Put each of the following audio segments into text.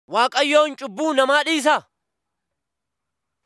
Waaqayyoon cubbuu namaa dhiisaa?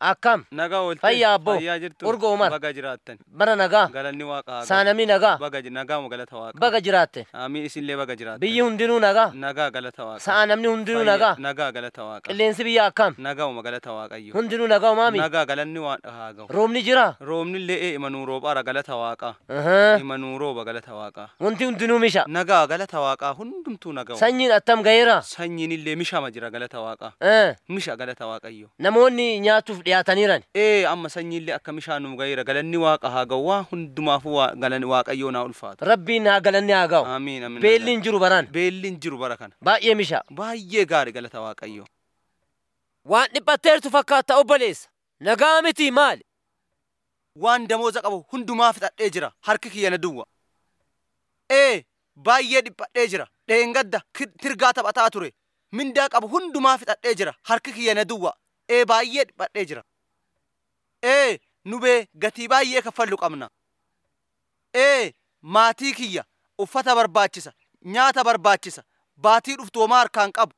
Akkam Nagaa oolte. Fayyaa abboo. Fayyaa jirtu. Urga Umar. Baga jiraattan. Bara nagaa. Galanni waaqa haa gahu. Saanamii nagaa. Baga nagaama galata waaqa. Baga jiraatte. Amiin isinillee baga jiraattan. Biyyi hundinuu nagaa. Nagaa galata waaqa. Sa'a namni hundinuu Fayyaa- nagaa. Nagaa galata waaqa. Qilleensi biyya akkam? Nagauma galata waaqayyo. Hundinuu nagaa umaami. Nagaa galanni waaqa haa gahu. Roobni jira. Roobnillee ee imanuu roobaara galata waaqa. Ahaa. Imanuu rooba galata waaqa. Wanti hundinuu misha. Nagaa galata waaqaa hundumtuu nagauma. Sanyiin attam gaheera. Sanyiinillee mishama jira galata waaqa. Eh, Misha galata waaqayyo. Namoonni nyaachuuf dhiyaataniiran. Ee amma sanyiillee akka mishaan nu gaheera galanni waaqa haa gahu waa hundumaafuu galanni waaqayyoo naa ulfaata. Rabbiin haa galanni haa ga'u. Amiin amiin. Beelli hin jiru baraan. Beelli hin jiru bara kana. Baay'ee misha. Baay'ee gaarii galata waaqayyo. Waan dhiphatteertu fakkaata obboleessa. Nagaa miti maali? Waan damooza qabu hundumaa fixadhee jira harki kiyya na duwwa. Ee baay'ee dhiphadhee jira dheengadda tirgaa taphataa ture mindaa qabu hundumaa fixadhee jira harki kiyya na duwwa. Ee baay'ee dhiphadhee jira. Ee nu bee gatii baay'ee kaffallu qabna. Ee maatii kiyya uffata barbaachisa nyaata barbaachisa baatii dhuftu homaa harkaan qabu.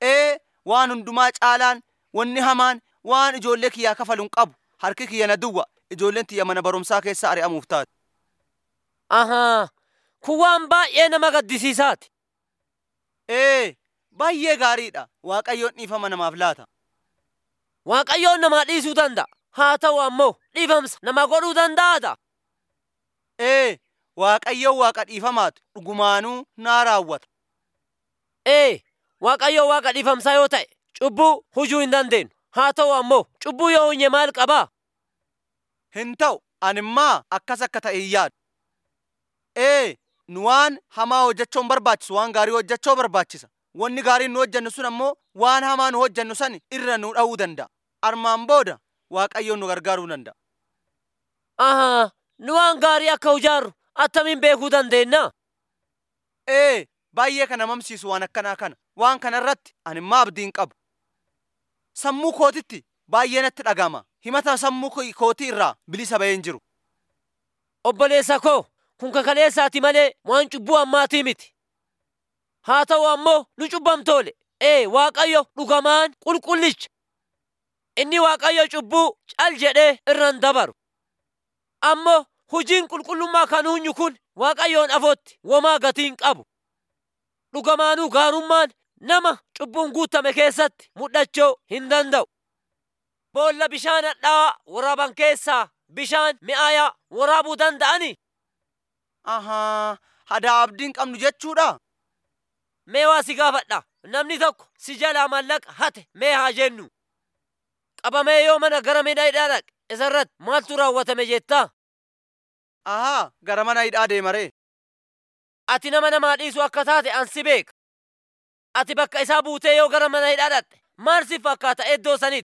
Ee waan hundumaa caalaan wanni hamaan waan ijoollee kiyyaa kafalu hin qabu harki kiyya na duwwa ijoolleen tiyya mana barumsaa keessa ari'amuuf taate. Ahaa. Kun waan baay'ee nama gaddisiisaati. Ee baay'ee gaariidha waaqayyoon dhiifama namaaf laata. Waaqayyoon namaa dhiisuu danda'a. Haa ta'u ammoo dhiifamsa nama godhuu danda'aadha. Ee waaqayyoon waaqa dhiifamaatu dhugumaanuu naa raawwata. Ee, Waaqayyo waaqa dhiifamsaa yoo ta'e cubbuu hujuu hin dandeenyu. Haa ta'u ammoo cubbuu yoo hunye maal qabaa? Hin ta'u animmaa akkas akka ta'e hin yaadu. Ee nu waan hamaa hojjechuu hin barbaachisu waan gaarii hojjechuu barbaachisa. Wanni gaariin nu hojjennu sun ammoo waan hamaa nu hojjennu san irra nu dha'uu danda'a. Armaan booda waaqayyoon nu gargaaruu danda'a. Ahaa, nu waan gaarii akka hujaarru attamiin beekuu dandeenya? Ee baay'ee kan namamsiisu waan akkanaa kana. Waan kana irratti animmaa abdii hin qabu. Sammuu kootitti baay'ee natti dhagama. Himata sammuu kootii irraa bilisa bahee hin jiru. Obboleessa koo, kun kakaleessaati malee waan cubbuu ammaatii miti. Haa ta'u ammoo nu cubbamtoole. Ee, Waaqayyo dhugamaan qulqullicha. Inni Waaqayyo cubbuu cal jedhee irra hin dabaru. Ammoo hujiin qulqullummaa kan hunyu kun Waaqayyoon afootti womaa gatii hin qabu. Dhugamaanuu gaarummaan nama cubbuun guutame keessatti mul'achuu hin danda'u. Boolla bishaan hadhaa'aa waraaban keessaa bishaan mi'aayaa waraabuu danda'anii? Ahaa, hadaa abdii hin qabnu jechuudha. Mee waa si gaafadha. Namni tokko si jalaa maallaqa hate mee haa jennu. Qabamee yoo mana gara mana hidhaa dhaqe isarratti maaltu raawwatame jettaa? Ahaa, gara mana hidhaa deemaree. Ati nama namaa dhiisu akka taate an si beeka. Ati bakka isaa buutee yoo gara mana hidhaa dhaqxe maal si fakkaata iddoo sanitti?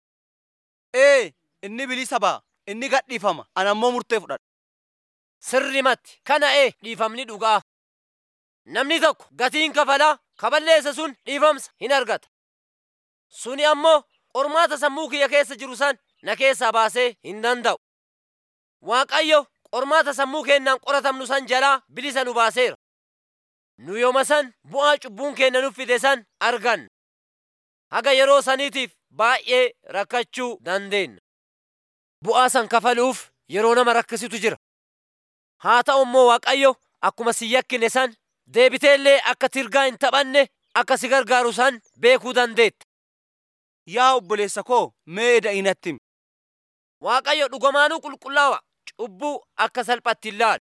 Ee, inni bilisa ba'a. Inni gadhiifama. Ani ammoo murtee fudhadha. Sirrimatti kana ee dhiifamni dhugaa. Namni tokko gatiin kafalaa kaballeessa sun dhiifamsa hin argata. Suni ammoo qormaata sammuu kiyya keessa jiru san na keessaa baasee hin danda'u. Waaqayyo qormaata sammuu keenyaan qoratamnu san jalaa bilisa nu baaseera. Nu yooma san bu'aa cubbuun keenya nuuf fide san arganna. Haga yeroo saniitiif baay'ee rakkachuu dandeenya. Bu'aa san kafaluuf yeroo nama rakkisitu jira. Haa ta'u immoo Waaqayyo akkuma si yakkine san deebiteellee akka tirgaa hin taphanne akka si gargaaru san beekuu dandeetta. Yaa obboleessa koo mee da'i natti himi. Waaqayyo dhugamaanuu qulqullaawa cubbuu akka salphatti hin laalu.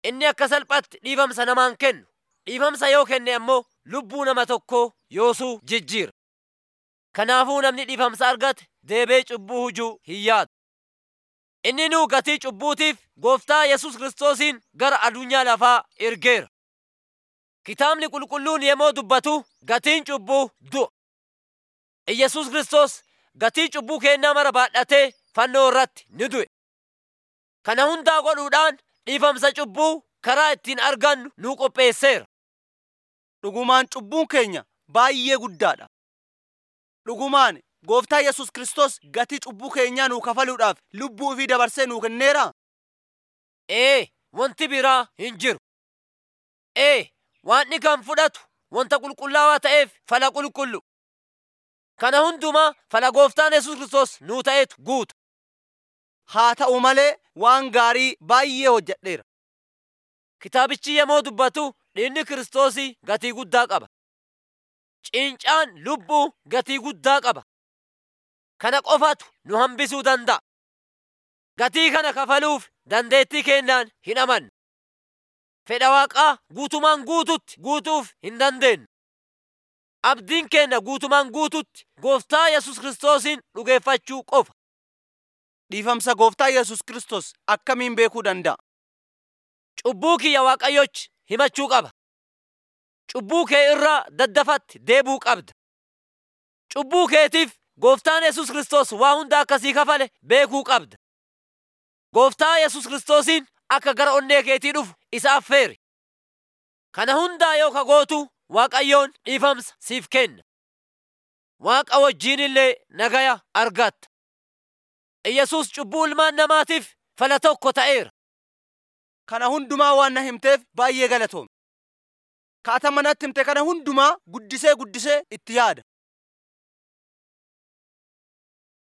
Inni akka salphatti dhiifamsa namaan kennu. Dhiifamsa yoo kenne ammoo lubbuu nama tokkoo yoosuu jijjiira. Kanaafuu namni dhiifamsa argate deebee cubbuu hujuu hin yaadu. Inni nuu gatii cubbuutiif gooftaa Yesuus Kiristoosiin gara addunyaa lafaa ergeera. Kitaabni qulqulluun yemmuu dubbatu gatiin cubbuu du'a. Iyyasuus Kiristoos gatii cubbuu keenyaa mara baadhatee fannoo irratti ni du'e. Kana hundaa godhuudhaan dhiifamsa cubbuu karaa ittiin argannu nuu qopheesseera. Dhugumaan cubbuun keenya baay'ee guddaadha. Dhugumaan gooftaa Yesuus Kiristoos gatii cubbuu keenyaa nuu kafaluudhaaf lubbuu ofii dabarsee nuu kenneera. Ee, wanti biraa hin jiru. Ee, waan kan fudhatu wanta qulqullaawaa ta'eef fala qulqullu. Kana hundumaa fala gooftaan Yesuus Kiristoos nuu ta'etu guuta. Haa ta'u malee waan gaarii baay'ee hojjedheera. Kitaabichi yemmuu dubbatu dhiigni Kiristoosii gatii guddaa qaba. Cincaan lubbuu gatii guddaa qaba. Kana qofatu nu hambisuu danda'a. Gatii kana kafaluuf dandeettii keenyaan hin amannu. Fedha Waaqaa guutumaan guututti guutuuf hin dandeenyu. Abdiin keenya guutumaan guututti Gooftaa Yesuus Kiristoosiin dhugeeffachuu qofa. Dhiifamsa Gooftaa Yesuus Kiristoos akkamiin beekuu danda'a? Cubbuu kiyya Waaqayyochi himachuu qaba. Cubbuu kee irraa daddafatti deebi'uu qabda. Cubbuu keetiif Gooftaan Yesuus Kiristoos waa hunda akkasii kafale beekuu qabda. Gooftaa Yesuus Kiristoosiin akka gara onnee keetii dhufu isa affeeri. Kana hundaa yoo ka gootu Waaqayyoon dhiifamsa siif kenna. Waaqa wajjiin illee nagaya argatta. Iyyasuus cubbuu ilmaan namaatiif fala tokko ta'eera. Kana hundumaa waan na himteef baay'ee galatoomi. Kaata manatti himte kana hundumaa guddisee guddisee itti yaada.